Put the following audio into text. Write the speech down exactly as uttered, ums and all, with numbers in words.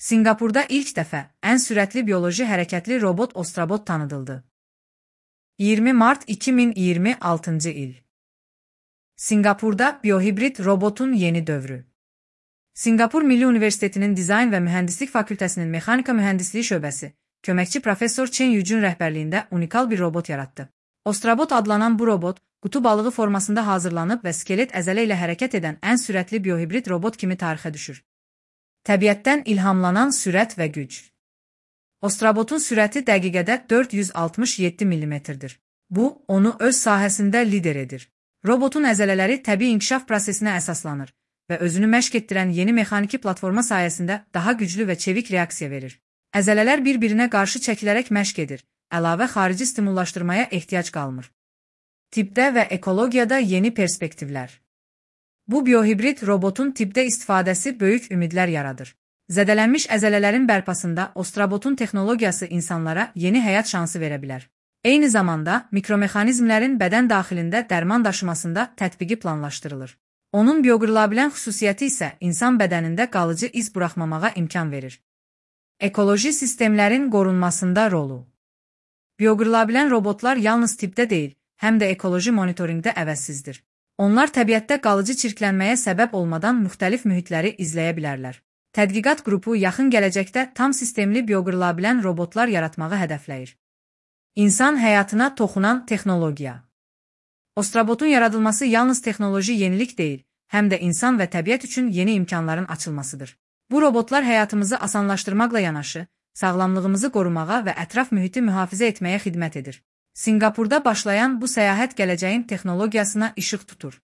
Sinqapurda ilk dəfə ən sürətli bioloji hərəkətli robot Ostrobot tanıdıldı. iyirmi mart iki min iyirmi altıncı il. Sinqapurda biohibrid robotun yeni dövrü. Sinqapur Milli Universitetinin Dizayn və Mühəndislik Fakültəsinin Mexanika Mühəndisliyi şöbəsi, köməkçi professor Chen Yujun rəhbərliyində unikal bir robot yaratdı. Ostrobot adlanan bu robot, qutu balığı formasında hazırlanıb və skelet əzələ ilə hərəkət edən ən sürətli biohibrid robot kimi tarixə düşür. Təbiətdən ilhamlanan sürət və güc. Ostrobotun sürəti dəqiqədə dörd yüz altmış yeddi millimetrdir. Bu, onu öz sahəsində lider edir. Robotun əzələləri təbii inkişaf prosesinə əsaslanır və özünü məşq etdirən yeni mexaniki platforma sayəsində daha güclü və çevik reaksiya verir. Əzələlər bir-birinə qarşı çəkilərək məşq edir, əlavə xarici stimullaşdırmaya ehtiyac qalmır. Tibbdə və ekologiyada yeni perspektivlər. Bu biohibrid robotun tibbdə istifadəsi böyük ümidlər yaradır. Zədələnmiş əzələlərin bərpasında Ostrobotun texnologiyası insanlara yeni həyat şansı verə bilər. Eyni zamanda, mikromexanizmlərin bədən daxilində dərman daşımasında tətbiqi planlaşdırılır. Onun bioqırılabilən xüsusiyyəti isə insan bədənində qalıcı iz buraxmamağa imkan verir. Ekoloji sistemlərin qorunmasında rolu. Bioqırılabilən robotlar yalnız tibbdə deyil, həm də ekoloji monitorinqdə əvəzsizdir. Onlar təbiətdə qalıcı çirklənməyə səbəb olmadan müxtəlif mühitləri izləyə bilərlər. Tədqiqat qrupu yaxın gələcəkdə tam sistemli bioqırılabilən robotlar yaratmağı hədəfləyir. İnsan həyatına toxunan texnologiya. Ostrobotun yaradılması yalnız texnoloji yenilik deyil, həm də insan və təbiət üçün yeni imkanların açılmasıdır. Bu robotlar həyatımızı asanlaşdırmaqla yanaşı, sağlamlığımızı qorumağa və ətraf mühiti mühafizə etməyə xidmət edir. Sinqapurda başlayan bu səyahət gələcəyin texnologiyasına işıq tutur.